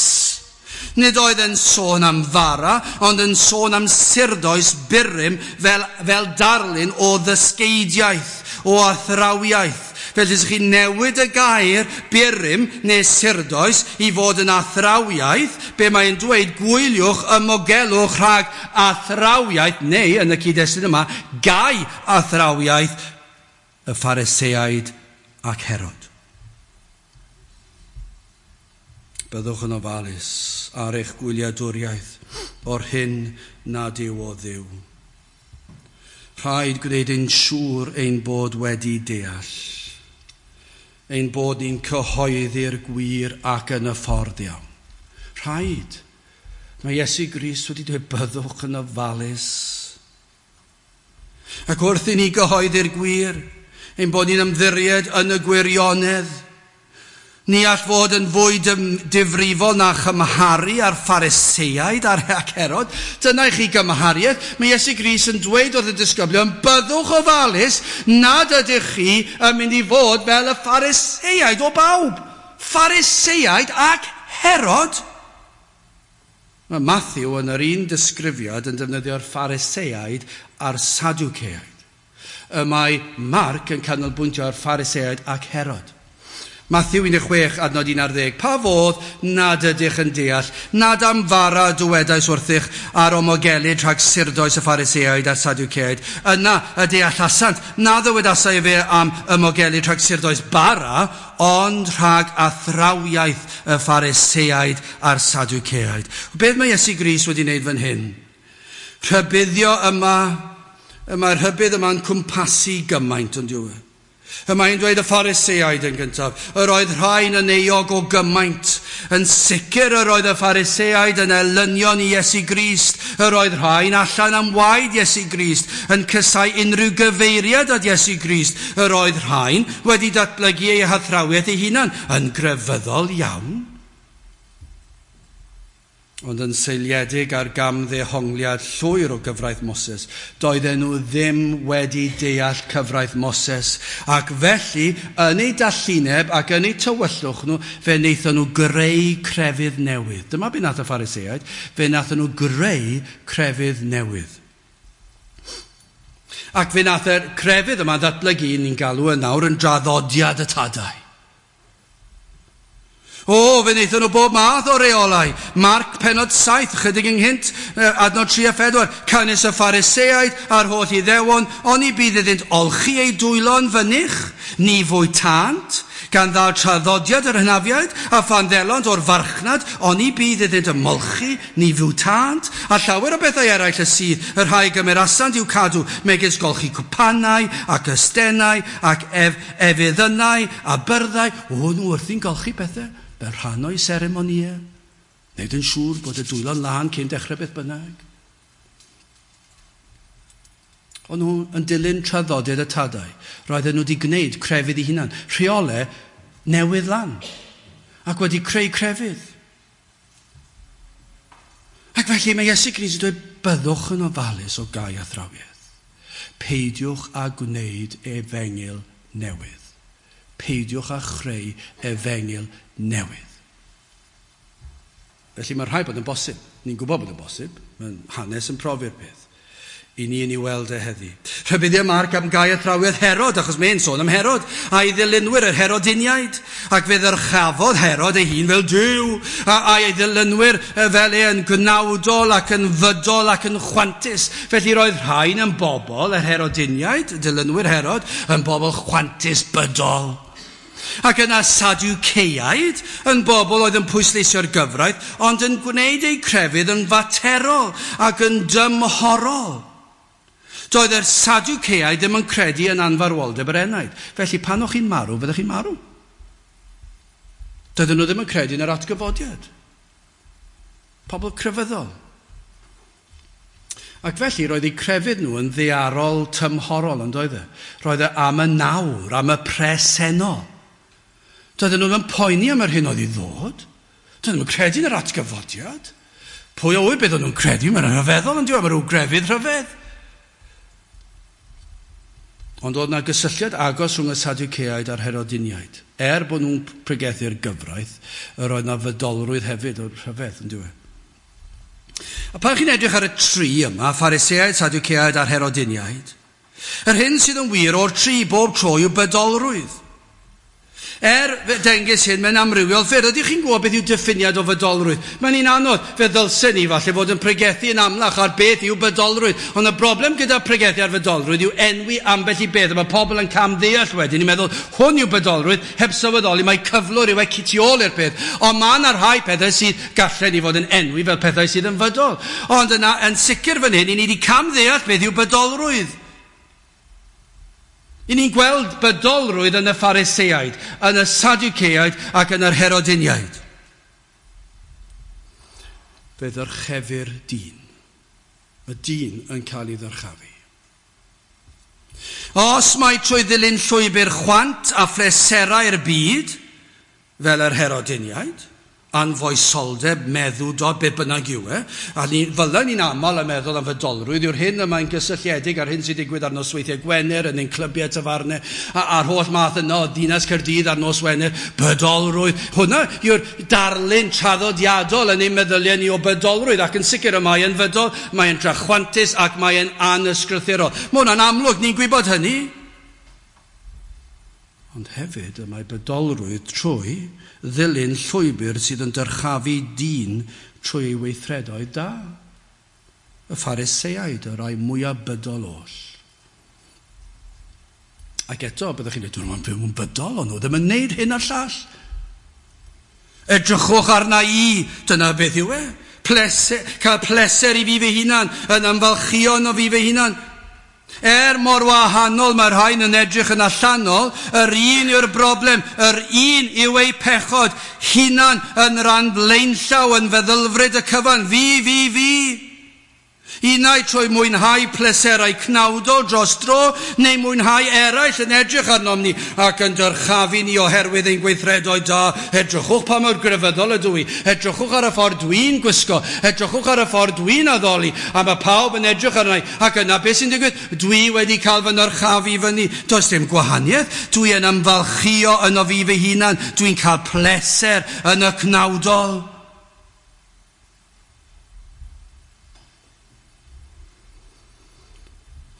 Nid oedd yn sôn am fara, ond yn sôn am surdoes burum fel darlun o ddysgeidiaeth, o athrawiaeth. Felly, os chi'n newid y gair burum neu surdoes i fod yn athrawiaeth, be mae'n dweud, gwyliwch, ymogelwch rhag athrawiaeth, neu yn y cyd-destun yma, gau athrawiaeth y Phariseaid ac Herod. Byddwch yn ofalus ar eich gwyliadwriaeth o'r hyn nad yw o Dduw. Rhaid gwneud yn siŵr ein bod wedi deall, ein bod ni'n cyhoeddi'r gwir ac yn y ffordd iawn. Rhaid. Mae Iesu Grist wedi dweud byddwch yn ofalus. Ac wrth i ni gyhoeddi'r gwir, ein bod ni'n ymddiried yn y gwirionedd, ni all fod yn fwy difrifol na chymharu â'r Phariseaid a'r Herod. Dyna i chi gymhariaeth. Mae Iesu Grist yn dweud wrth y disgyblion, byddwch ofalus nad ydych chi yn mynd i fod fel y Phariseaid o bawb. Phariseaid ac Herod. Mae Matthew yn yr un disgrifiad yn defnyddio'r Phariseaid a'r Sadwceaid. Y mae Mark yn canolbwyntio ar Phariseaid ac Herod. Matthew 16, adnod 11. Pa fodd nad ydych yn deall, nad am fara dywedais wrthych ar omogelyd rhag surdoes y Phariseaid a'r Sadwceaid. Yna y deallasant, na ddywedasai fe am ymogelyd rhag surdoes bara, ond rhag athrawiaeth y Phariseaid a'r Sadwceaid. Beth mae Iesu Grist wedi wneud fan hyn? Rhybuddio yma, mae'r rhybudd yma'n cwmpasu gymaint, ond yw e? Y mae'n dweud y Phariseaid yn gyntaf, yr oedd rhain yn euog o gymaint. Yn sicr yr oedd y Phariseaid yn elynion i Iesu Grist. Yr oedd rhain allan am waed Iesu Grist, yn cysau unrhyw gyfeiriad at Iesu Grist. Yr oedd rhain wedi datblygu eu hathrawiaeth eu hunan yn grefyddol iawn, ond yn seiliedig ar gamddehongliad llwyr o gyfraith Moses. Doedden nhw ddim wedi deall cyfraith Moses, ac felly, yn eu dallineb ac yn eu tywyllwch nhw, fe wnaethon nhw greu crefydd newydd. Dyma be nath y Phariseaid, fe wnaethon nhw greu crefydd newydd. Ac fe nath y crefydd yma ddatblygu, ni'n galw yn nawr, yn draddodiad y tadau. O, fe wnaethon nhw bob math o reolau. Marc penod 7, chydig ynghynt, adnod 3 a 4. Canys y Phariseaid a'r holl Iddewon, oni bydd iddynt olchi eu dwylo'n fynych, ni fwytant, gan ddal traddodiad yr hynafiaid, a phan ddelont o'r farchnad, oni bydd iddynt ymolchi, ni fwytant, a llawer o bethau eraill y sydd, y rhai gymerasant i'w cadw, megis golchi cwpanau, ac ystennau, ac efeddynau, a byrddau. O, nhw wrthi'n golchi pethau fel rhan o'i seremonïau. Wneud yn siŵr bod y dwylo'n lân cyn dechrau beth bynnag. O'n nhw yn dilyn traddodiad y tadau. Roedden nhw wedi gwneud crefydd eu hunan. Rheolau newydd lan. Ac wedi creu crefydd. Ac felly mae Iesu Grist yn dweud, byddwch yn ofalus o gau athrawiaeth. Peidiwch â gwneud efengyl newydd. Peidiwch â chreu efengyl newydd. Felly mae rhaid bod yn bosib. Ni'n gwybod bod yn bosib. Mae hanes yn profi'r peth. I ni yn ei weld e heddi. Rhybuddio Marc am gau athrawiaeth Herod, achos mae'n sôn am Herod, a'i ddilynwyr yr Herodiniaid, ac fe ddyrchafodd Herod ei hun fel Duw, a'i ddilynwyr fel e yn gnawdol ac yn fydol ac yn chwantus. Felly roedd rhain yn bobl, yr Herodiniaid, dilynwyr Herod, yn bobl chwantus bydol. Ac yna Sadwceiaid yn bobl oedd yn pwysleisio'r gyfraith, ond yn gwneud eu crefydd yn faterol ac yn dymhorol. Doedd yr Sadwceiaid ddim yn credu yn anfarwoldeb yr enaid. Felly pan o'ch chi'n marw, fyddech chi'n marw. Doedden nhw ddim yn credu yn yr atgyfodiad. Pobl crefyddol. Ac felly roedd eu crefydd nhw yn ddaearol tymhorol, yn doedd e? Roedd e am y nawr, am y presennol. Doedden nhw ddim yn poeni am yr hyn oedd i ddod. Doedden nhw'n credu yn yr atgyfodiad. Pwy a ŵyr beth o'n nhw'n credu? Mae'n rhyfeddol yn diwedd, mae rhyw grefydd rhyfedd. Ond oedd yna gysylltiad agos rhwng y Sadwceaid a'r Herodiniaid. Er bod nhw'n pregethu'r gyfraith, yr oedd yna fydolrwydd hefyd o'r rhyfedd, yn diwedd. A pan chi'n edrych ar y tri yma, Phariseaid, Sadwceaid a'r Herodiniaid, yr hyn sydd yn wir o'r tri bob tro yw bydolrwydd. Er dengys hyn mewn amrywiol ffyrdd. Ydych chi'n gwybod beth yw diffiniad o fydolrwydd? Mae'n un anodd. Fe ddylsen ni falle fod yn pregethu yn amlach ar beth yw bydolrwydd. Ond y broblem gyda pregethu ar fydolrwydd yw enwi ambell i beth. A mae pobl yn camddeall wedyn i meddwl hwn yw bydolrwydd, heb sylweddoli mae cyflwr yw e tu ôl i'r peth. Ond mae yna rhai pethau sydd gallen ni fod yn enwi fel pethau sydd yn fydol. Ond yna, yn sicr fan hyn, i ni wedi camddeall beth yw bydolrwydd. I ni'n gweld bydolrwydd yn y Phariseaid, yn y Sadwceaid ac yn yr Herodiniaid. Fe ddyrchefir dyn. Y dyn yn cael ei ddyrchafu. Os mai trwy ddilyn llwybr chwant a phleserau'r byd, fel yr Herodiniaid, anfoesoldeb, meddwdod, be bynnag yw e, a ni, fel ni'n aml yn meddwl am fydolrwydd yw'r hyn y mae'n gysylltiedig â'r hyn sy'n digwydd ar nosweithiau Gwener yn ein clybiau tafarnau, a'r holl math yno o Dinas Caerdydd ar nos Wener, bydolrwydd. Hwna yw'r darlun traddodiadol yn ein meddyliau ni o bydolrwydd, ac yn sicr y mae yn fydol, mae'n drachwantus ac mae'n anysgrythurol. Mae hwnna'n amlwg, ni'n gwybod hynny. Ond hefyd y mae bydolrwydd trwy ddilyn llwybr sydd yn dyrchafu dyn trwy ei weithredoedd da. Y Phariseaid, y rhai mwyaf bydol oll. Ac eto, byddwch chi'n dweud, dwi'n byw yn bydol, ond nhw ddim yn neud hyn a'r llall. Edrychwch arna i, dyna beth yw e. Pleser, cael pleser i fi fy hunan, yn ymfalchïo yno fi fy hunan. Er mor wahanol mae'r rhain yn edrych yn allanol, yr un yw'r broblem, yr un yw eu pechod, hunan yn rhan blaenllaw yn feddylfryd y cyfan, fi, fi, fi. Unai trwy mwynhau pleserau cnawdol dros dro, neu mwynhau eraill yn edrych arnom ni ac yn dyrchafu ni oherwydd ein gweithredoedd da. Edrychwch pa mor grefyddol ydw i, edrychwch ar y ffordd dwi'n gwisgo, edrychwch ar y ffordd dwi'n addoli, a mae pawb yn edrych arna i. Ac yna beth sy'n digwydd? Dwi wedi cael fy nyrchafu fyny. Does dim gwahaniaeth. Dwi yn ymfalchïo yno fi fy hunan. Dwi'n cael pleser yn y cnawdol.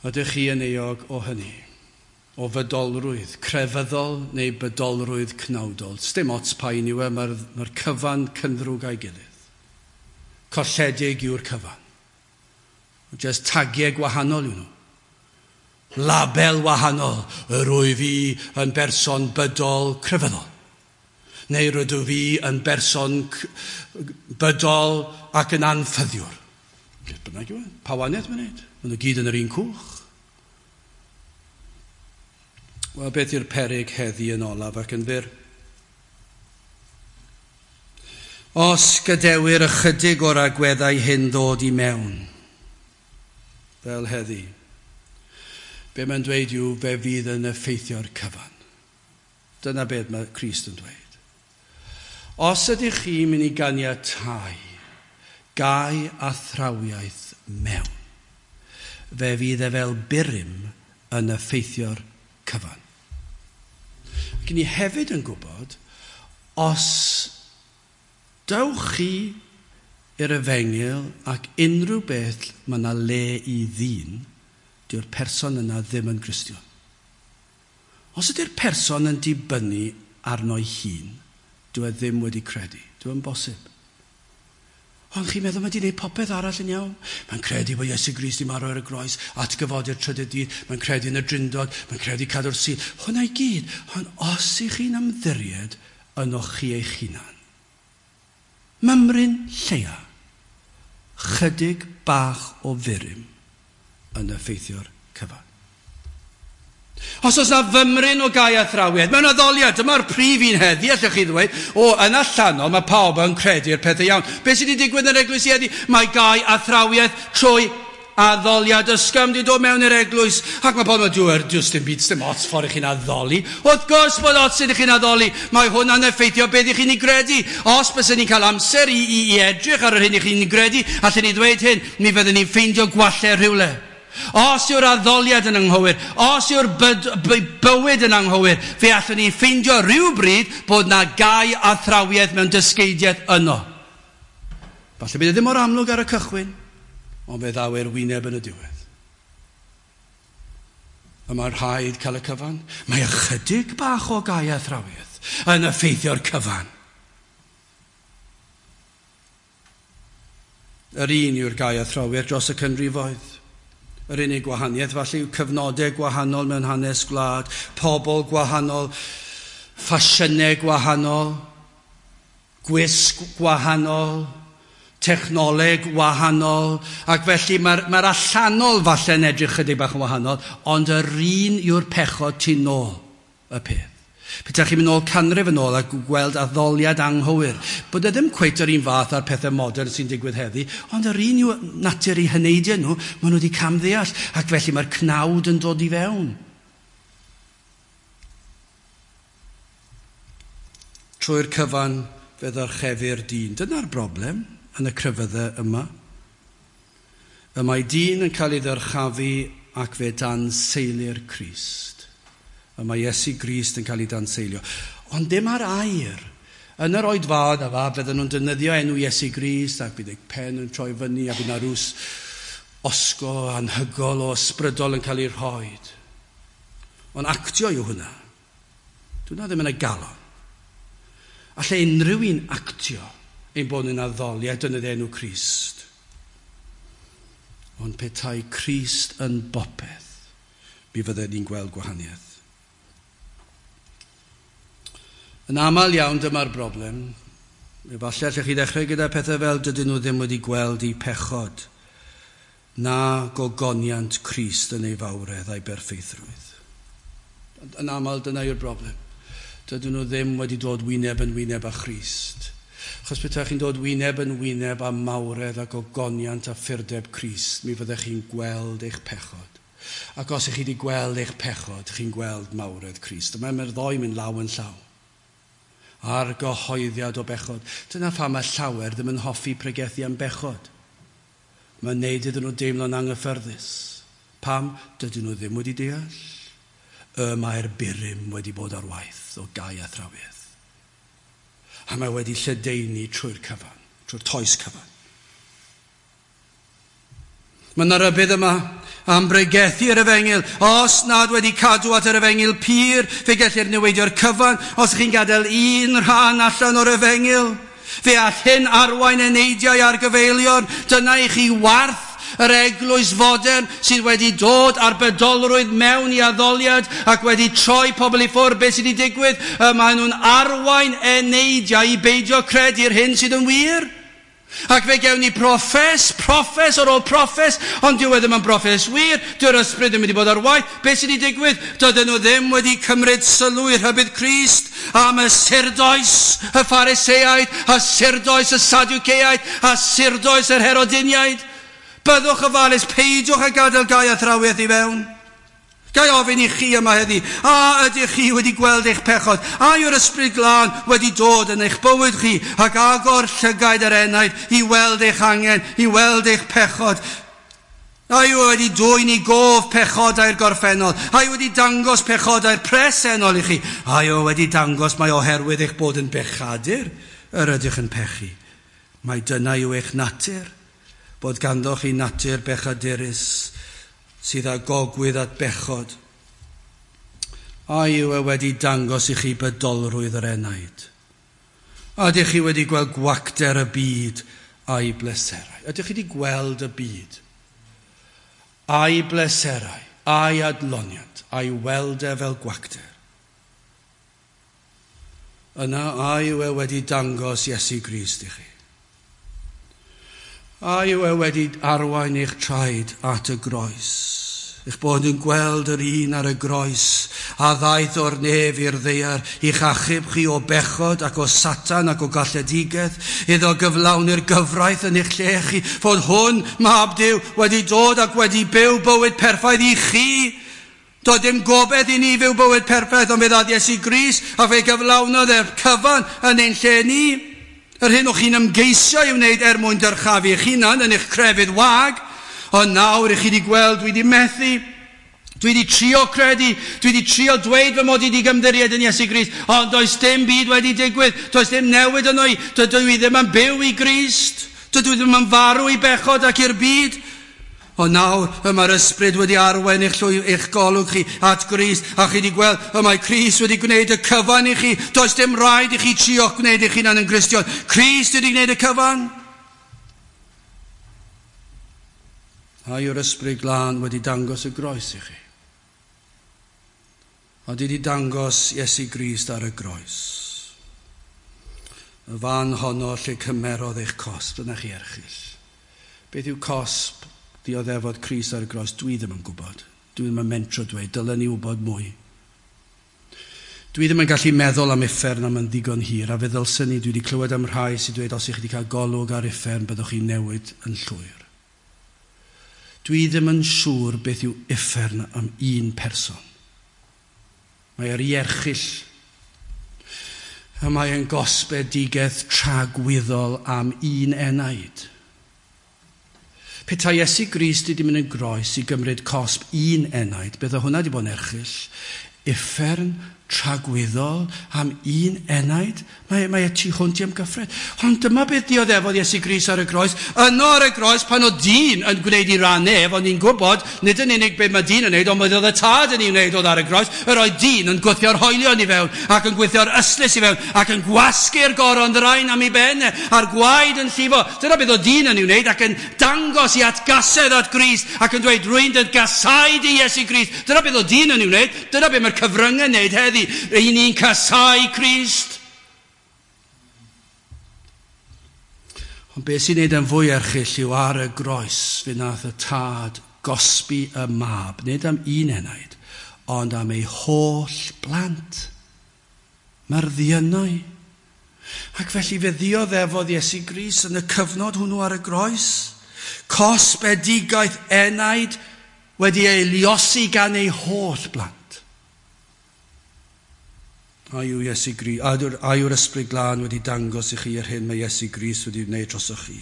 Ydych chi yn euog o hynny? O fydolrwydd crefyddol neu bydolrwydd cnawdol? Sdim ots pa un yw e, mae'r cyfan cynddrwg a'i gilydd. Colledig yw'r cyfan. Just tagiau gwahanol yw nhw. Label wahanol. Yr wyf fi yn berson bydol crefyddol. Neu rydw fi yn berson bydol ac yn anffyddiwr. Beth bynnag yw e? Pa wahaniaeth mae'n neud? Maen nhw gyd yn yr un cwch. Wel, beth yw'r peryg heddi yn olaf ac yn fyr? Os gadewir ychydig o'r agweddau hyn ddod i mewn, fel heddi, be mae'n dweud yw fe fydd yn effeithio'r cyfan. Dyna beth mae Crist yn dweud. Os ydych chi'n mynd i ganiatáu gau athrawiaeth mewn, fe fydd e fel burum yn effeithio'r cyfan. Ac ni hefyd yn gwybod, os dewch chi i'r efengyl ac unrhyw beth mae yna le i ddyn, Dyw'r person yna ddim yn Gristion. Os ydy'r person yn dibynnu arno'i hun, dyw e ddim wedi credu. Dyw e'n bosib. Ond chi'n meddwl mae wedi gwneud popeth arall yn iawn? Mae'n credu bod Iesu Grist 'di marw ar y groes, atgyfodi'r trydydd dydd, mae'n credu yn y Drindod, mae'n credu cadw'r Sul. Hwna i gyd. Ond os ych chi'n ymddiried ynoch chi eich hunan, mymryn lleia, chydig bach o furum yn effeithio'r cyfan. Os oes na fymryn o gau athrawiaeth, mewn addoliad, dyma'r prif un heddi, allwch chi ddweud, o, yn allanol, mae pawb yn credu'r pethau iawn. Beth sydd wedi digwydd yn yr eglwys heddi? Mae gau athrawiaeth trwy addoliad ysgafn wedi dod mewn i'r eglwys, ac mae pobl yn dweud, does dim byd, dim ots ffordd i chi'n addoli. Wrth gwrs bod ots ydych chi'n addoli, mae hwnna'n effeithio beth ych chi'n ei gredu. Os byswn ni'n cael amser i edrych ar yr hyn ych chi'n ei gredu, allen ni ddweud hyn, mi fyddwn ni'n ffeindio gwallau rhywle. Os yw'r addoliad yn anghywir, os yw'r bywyd yn anghywir, fe allwn ni ffeindio rhywbryd bod na gau athrawiaeth mewn dysgeidiaeth yno. Falle bydd e ddim mor amlwg ar y cychwyn, ond fe ddaw i'r wyneb yn y diwedd. Y mae rhaid cael y cyfan. Mae ychydig bach o gau athrawiaeth yn effeithio'r cyfan. Yr un yw'r gau athrawiaeth dros y canrifoedd. Yr unig gwahaniaeth falle yw cyfnodau gwahanol mewn hanes gwlad, pobl gwahanol, ffasiynau gwahanol, gwisg gwahanol, technoleg wahanol, ac felly mae'r allanol falle'n edrych chydig bach yn wahanol, ond yr un yw'r pechod tu nôl y peth. Petai chi'n mynd nôl canrif yn ôl a gweld addoliad anghywir, bod e ddim cweit yr un fath â'r pethau modern sy'n digwydd heddi, ond yr un yw natur eu heneidiau nhw, maen nhw wedi camddeall, ac felly mae'r cnawd yn dod i fewn. Trwy'r cyfan fe ddyrchefir dyn. Dyna'r broblem yn y crefyddau yma. Y mae dyn yn cael ei ddyrchafu ac fe danseilir Crist. Y mae Iesu Grist yn cael ei danseilio. Ond dim ar air. Yn yr oedfaon yma, fydden nhw'n defnyddio enw Iesu Grist ac bydd eu pen yn troi fyny a bydd 'na rws osgo anhygol o ysbrydol yn cael ei rhoi. Ond actio yw hwnna. Dyna ddim yn y galon. Alle unrhyw un actio ein bod yn addoli a defnyddio enw Crist. Ond petai Crist yn bopeth, mi fydden ni'n gweld gwahaniaeth. Yn aml iawn dyma'r broblem. Efallai allech chi ddechrau gyda pethau fel dydyn nhw ddim wedi gweld eu pechod na gogoniant Crist yn ei fawredd a'i berffeithrwydd. Yn aml dyna yw'r broblem. Dydyn nhw ddim wedi dod wyneb yn wyneb â Christ. Achos petai chi'n dod wyneb yn wyneb â mawredd a gogoniant a phurdeb Crist, mi fyddech chi'n gweld eich pechod. Ac os ych chi wedi gweld eich pechod, chi'n gweld mawredd Crist. Mae'r ddoi mynd law yn llaw. Ar gyhoeddiad o bechod. Dyna pham mae llawer ddim yn hoffi pregethu am bechod. Mae'n neud iddyn nhw deimlo'n anghyffyrddus. Pam? Dydyn nhw ddim wedi deall. Y mae'r burum wedi bod ar waith o gau athrawiaeth. A mae wedi lledaenu trwy'r cyfan, trwy'r toes cyfan. Mae yna rybudd yma am bregethu yr efengyl. Os nad wedi cadw at yr efengyl pur, fe gellir neweidio'r cyfan. Os ych chi'n gadael un rhan allan o'r efengyl, fe all hyn arwain eneidiau ar gyfeilion. Dyna i chi warth yr eglwys fodern sydd wedi dod ar bedolrwydd mewn i addoliad ac wedi troi pobl i ffwrdd. Beth sydd wedi digwydd? Maen nhw'n arwain eneidiau i beidio credu'r hyn sydd yn wir. Ac fe gewn ni proffes, proffes ar ôl proffes, ond dyw e ddim yn broffes wir, dyw'r ysbryd ddim wedi bod ar waith. Beth sydd wedi digwydd? Dydyn nhw ddim wedi cymryd sylw i'r rhybudd Crist am y surdoes y Phariseaid, a surdoes y Sadwceaid, a surdoes yr Herodiniaid. Byddwch ofalus, peidiwch â gadael gau athrawiaeth i fewn. Ga i ofyn i chi yma heddi, a ydych chi wedi gweld eich pechod? A yw'r ysbryd glân wedi dod yn eich bywyd chi ac agor llygaid yr enaid i weld eich angen, i weld eich pechod? A yw wedi dwyn i gof pechodau'r gorffennol? A yw wedi dangos pechodau'r presennol i chi? A yw wedi dangos mai oherwydd eich bod yn bechadur yr ydych yn pechu? Mai dyna yw eich natur, bod ganddoch chi natur bechadurus sydd â gogwydd at bechod? A yw e wedi dangos i chi bydolrwydd yr enaid? A ydych chi wedi gweld gwacter y byd a'i bleserau? Ydych chi wedi gweld y byd a'i bleserau, a'i adloniant, a'i weld e fel gwacter? Yna a yw e wedi dangos Iesu Grist i chi? A yw e wedi arwain eich traed at y groes? Eich bod yn gweld yr un ar y groes a ddaeth o'r nef i'r ddaear i'ch achub chi o bechod ac o Satan ac o galledigaeth, iddo gyflawni'r gyfraith yn eich lle chi, fod hwn, Mab Duw, wedi dod ac wedi byw bywyd perffaith i chi. Doedd dim gobaith i ni fyw bywyd perffaith, ond fe ddaeth Iesu Grist a fe gyflawnodd e'r cyfan yn ein lle ni. Yr hyn o'ch chi'n ymgeisio i wneud er mwyn dyrchafu eich hunan yn eich crefydd wag, ond nawr i chi wedi gweld, dwi wedi methu, dwi wedi trio credu, dwi wedi trio dweud fy mod i wedi ymddiried yn Iesu Grist, ond does dim byd wedi digwydd, does dim newid yno i, dydw i ddim yn byw i Grist, dydw i ddim yn farw i bechod ac i'r byd. Ond nawr, y mae'r ysbryd wedi arwain eich golwg chi at Grist, a chi wedi gweld, y mae Crist wedi gwneud y cyfan i chi. Does dim rhaid i chi trio gwneud eich hunan yn Gristion. Crist wedi gwneud y cyfan. A yw'r ysbryd glân wedi dangos y groes i chi? A wedi dangos Iesu Grist ar y groes. Y fan honno lle cymerodd eich cosb, dyna chi erchyll. Beth yw cosb dioddefodd Crist ar y groes? Dwi ddim yn gwybod. Dwi ddim yn mentro dweud, dylen ni wybod mwy. Dwi ddim yn gallu meddwl am uffern am yn ddigon hir, a fe ddylswn ni, dwi wedi clywed am rhai sy'n dweud os ych chi wedi cael golwg ar uffern, byddwch chi'n newid yn llwyr. Dwi ddim yn siŵr beth yw uffern am un person. Mae yr ierchyll. A mae yn gosbedigaeth tragwyddol am un enaid. Petai Iesu Grist wedi mynd yn groes i gymryd cosb un enaid, bydde hwnna wedi bod yn erchyll. Uffern tragwyddol am un enaid, mae e tu hwnt i amgyffred. Ond dyma beth dioddefodd Iesu Grist ar y groes. Yno ar y groes, pan oedd dyn yn gwneud i ran ef, ond ni'n gwybod, nid yn unig beth mae dyn yn wneud, ond oedd y tad yn ei wneud oedd ar y groes, yr oedd dyn yn gwthio'r hoelion i fewn, ac yn gwthio'r ystlys i fewn, ac yn gwasgu'r goron ddrain am ei ben, a'r gwaed yn llifo. Dyna beth oedd dyn yn ei wneud, ac yn dangos i atgasedd at Grist, ac yn dweud, rwy'n dy gasau di Iesu Grist. Dyna beth oedd dyn yn ei wneud, dyna beth mae'r cyfryngau yn wneud heddi. Ry'n ni'n casau Crist. Ond beth sy'n neud yn fwy erchyll yw ar y groes fe nath y tad gosbi y mab, nid am un enaid, ond am ei holl blant. Mae'r ddiynau. Ac felly fe ddioddefodd Iesu Grist yn y cyfnod hwnnw ar y groes. Cosbedigaeth enaid wedi ei liosi gan ei holl blant. A yw Iesu Grist, a yw'r ysbryd glân wedi dangos i chi yr hyn mae Iesu Grist wedi wneud drosoch chi?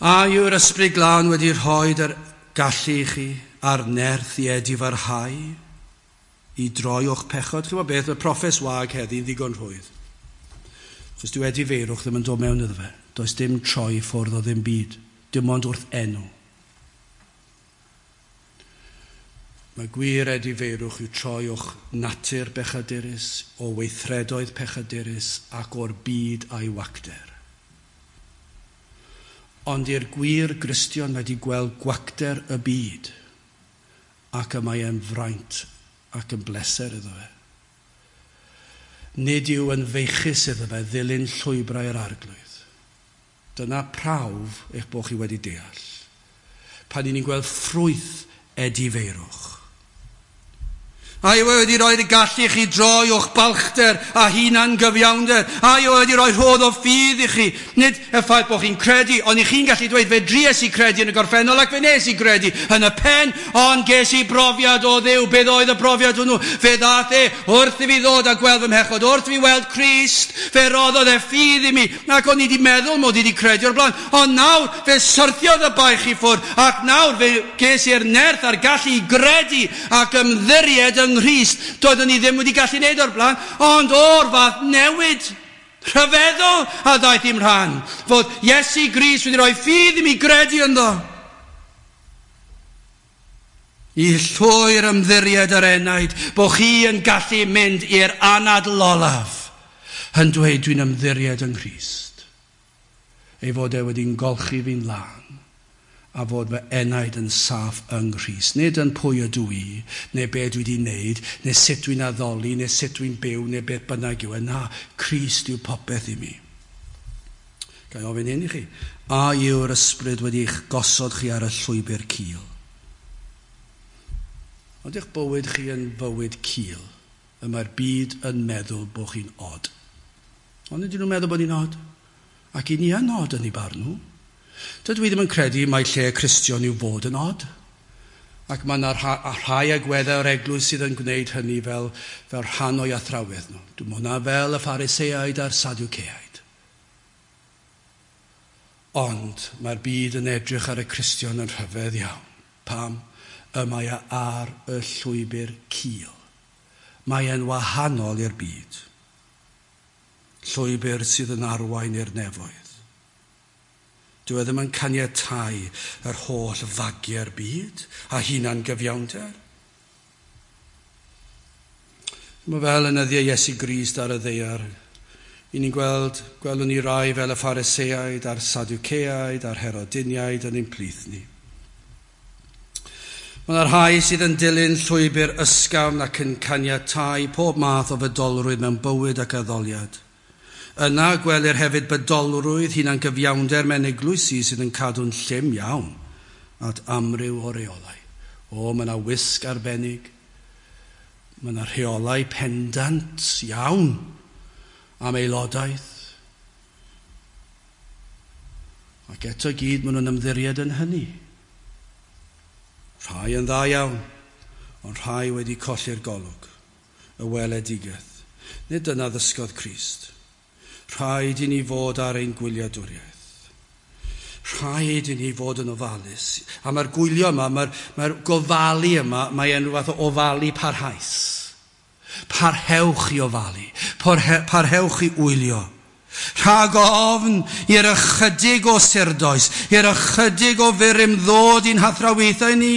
A yw'r ysbryd glân wedi rhoi yr gallu i chi a'r nerth i edifarhau i droi o'ch pechod? Chi'n gwybod beth, y proffes wag heddi'n ddigon rhwydd. Chos dyw edifeirwch ddim yn dod mewn iddo fe. Does dim troi ffwrdd o ddim byd, dim ond wrth enw. Mae gwir edifeirwch yw troi o'ch natur bechadurus, o weithredoedd pechadurus ac o'r byd a'i wacter. Ond i'r gwir Gristion wedi gweld gwacter y byd, ac y mae e'n fraint ac yn bleser iddo fe. Nid yw yn feichus iddo fe ddilyn llwybrau'r arglwydd. Dyna prawf eich bod chi wedi deall. Pan ni'n gweld ffrwyth edifeirwch. A yw e wedi rhoi'r gallu i chi droi o'ch balchder a hunan gyfiawnder. A yw e wedi rhoi rhodd o ffydd i chi. Nid y ffaith bod chi'n credu, ond i chi'n gallu dweud fe dries i credu yn y gorffennol ac fe nes i credu yn y pen, ond ges i brofiad o Dduw. Beth oedd y brofiad hwnnw? Fe ddath e wrth i fi ddod a gweld fy mhechod, wrth i fi weld Crist, fe roddodd e ffydd i mi, ac o'n i wedi meddwl mod i wedi credu o'r blaen. Ond nawr fe syrthiodd y baich i ffwrdd, ac nawr fe ges i'r nerth a'r gallu i gredu ac ymddiried yng Nghrist. Doeddwn ni ddim wedi gallu wneud o'r blaen, ond o'r fath newid rhyfeddol a ddaeth i'm rhan, fod Iesu Grist wedi rhoi ffydd i mi gredu ynddo. I llwyr ymddiried yr enaid, bod chi yn gallu mynd i'r anadl olaf yn dweud dwi'n ymddiried yng Nghrist. Ei fod e wedi'n golchi fi'n lân a fod fy enaid yn saff yng Nghrist. Nid yn pwy ydw i, neu be dwi wedi wneud, neu sut dwi'n addoli, neu sut dwi'n byw, neu beth bynnag yw e. Na, Crist yw popeth i mi. Ga i ofyn hyn i chi. A yw'r ysbryd wedi eich gosod chi ar y llwybr cul? Ond eich bywyd chi yn fywyd cul, y mae'r byd yn meddwl bod chi'n od. Ond ydyn nhw'n meddwl bod ni'n od? Ac i ni yn od yn ei barn nhw. Dydw i ddim yn credu mai lle Cristion yw fod yn od. Ac mae yna rhai agweddau o'r eglwys sydd yn gwneud hynny fel rhan o'i athrawiaeth nhw. Dwi'n hwnna fel y Phariseaid a'r Sadwceaid. Ond mae'r byd yn edrych ar y Cristion yn rhyfedd iawn. Pam? Y mae e ar y llwybr cul. Mae e'n wahanol i'r byd. Llwybr sydd yn arwain i'r nefoedd. Dyw e ddim yn caniatáu yr holl fagiau'r byd a hunan gyfiawnder. Mae fel yn nyddiau Iesu Grist ar y ddaear. I ni'n gweld, gwelwn ni rai fel y Phariseaid a'r Sadwceaid a'r Herodiniaid yn ein plith ni. Mae yna rhai sydd yn dilyn llwybr ysgafn ac yn caniatáu pob math o fydolrwydd mewn bywyd ac addoliad. Yna gwelir hefyd bydolrwydd hunan gyfiawnder mewn eglwysi sydd yn cadw'n llym iawn at amryw o reolau. O, mae yna wisg arbennig. Mae yna rheolau pendant iawn am aelodaeth. Ac eto gyd maen nhw'n ymddiried yn hynny. Rhai yn dda iawn, ond rhai wedi colli'r golwg, y weledigaeth. Nid dyna ddysgodd Crist. Rhaid i ni fod ar ein gwyliadwriaeth. Rhaid i ni fod yn ofalus. A mae'r gwylio yma, mae'r gofalu yma, mae e'n rhywbeth o ofalu parhaus. Parhewch i ofalu. Parhewch i wylio. Rhag ofn i'r ychydig o surdoes, i'r ychydig o furum ddod i'n hathrawiaethau ni.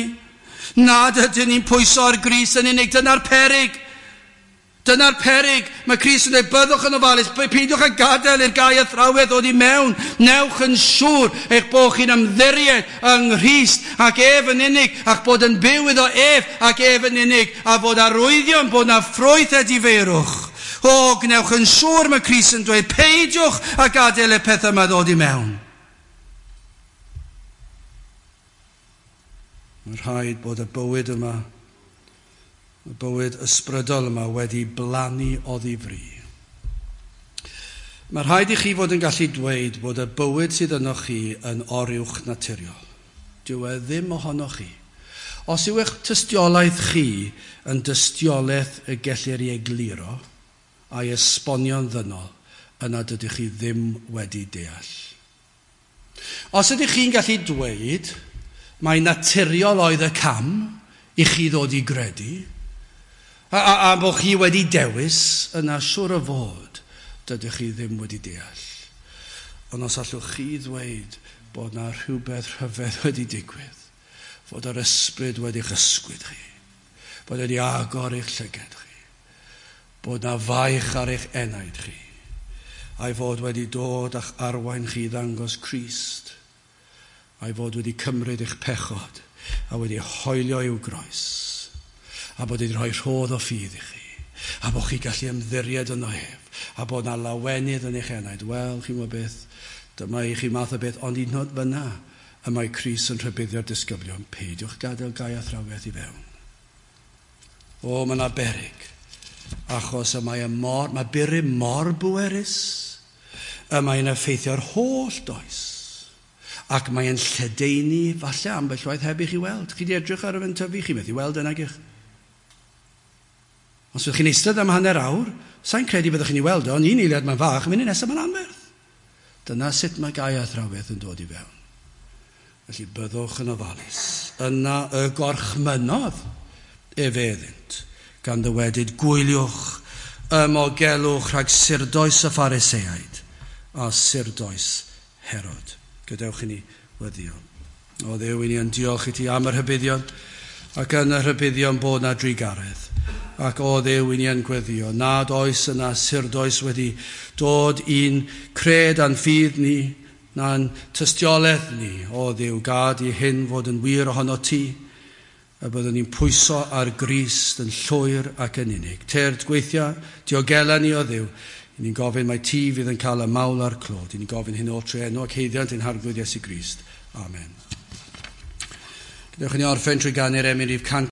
Nad ydyn ni'n pwyso ar Grist yn unig, dyna'r peryg. Dyna'r peryg. Mae Crist yn dweud, byddwch yn ofalus, peidiwch â gadael i'r gau athrawiaeth ddod i mewn. Newch yn siŵr eich bod chi'n ymddiried yng Nghrist ac ef yn unig, ac bod yn byw iddo ef ac ef yn unig, a fod arwyddion bod na ffrwyth edifeirwch. O, gwnewch yn siŵr, mae Crist yn dweud, peidiwch â gadael y pethau yma ddod i mewn. Mae'n rhaid bod y bywyd yma, y bywyd ysbrydol yma wedi blannu oddi fri. Mae rhaid i chi fod yn gallu dweud bod y bywyd sydd ynoch chi yn oruwch naturiol. Dyw e ddim ohonoch chi. Os yw eich tystiolaeth chi yn dystiolaeth y gellir ei egluro a'i esbonio'n ddynol, yna dydych chi ddim wedi deall. Os ydych chi'n gallu dweud mai naturiol oedd y cam i chi ddod i gredu, a bod chi wedi dewis, yna siŵr o fod dydych chi ddim wedi deall. Ond os allwch chi ddweud bod na rhywbeth rhyfedd wedi digwydd, fod yr ysbryd wedi'ch ysgwyd chi, bod wedi agor eich llygad chi, bod na faich ar eich enaid chi, a'i fod wedi dod a'ch arwain chi i ddangos Crist, a'i fod wedi cymryd eich pechod a wedi hoelio i'w groes, a bod wedi rhoi rhodd o ffydd i chi, a bod chi gallu ymddiried yno ef, a bod na lawenydd yn eich enaid. Wel, chi'n gwybod beth, dyma i chi math o beth, ond un oed fyna, y mae Crist yn rhybuddio'r disgyblion, peidiwch gadael gau athrawiaeth i fewn. O, mae yna beryg, achos y mae mae burum mor bwerus, y mae'n effeithio'r holl does, ac mae'n lledaenu, falle ambell waith heb i chi weld. Chi di edrych ar y fe'n tyfu, chi methu weld yna gych. Os ydych chi'n eistedd am hanner awr, sa'n credu byddwch chi'n ei weld o, ond un eiliad mae'n fach, munud nesaf mae'n anferth. Dyna sut mae gau athrawiaeth yn dod i fewn. Felly byddwch yn ofalus. Yna y gorchmynnodd efe iddynt, gan ddywedyd, gwyliwch, ymogelwch rhag surdoes y Phariseaid a surdoes Herod. Gadewch i ni weddio. O Dduw, i ni yn diolch i ti am yr rhybuddion, Ac yn y rhybuddion bod na drugaredd. Ac o Dduw, i ni yn gweddio, nad oes yna surdoes wedi dod i'n cred a'n ffydd ni, na'n tystiolaeth ni. O Dduw, gad i hyn fod yn wir ohono ti, y byddwn ni'n pwyso ar Grist yn llwyr ac yn unig. Tyrd gweithio, diogela ni o Dduw. I ni'n gofyn mai ti fydd yn cael y mawl a'r clod. I ni'n gofyn hyn o trwy enw ac haeddiant ein Harglwydd Iesu Grist. Amen. Gadewch i ni orffen trwy ganu'r emyn rhif 100.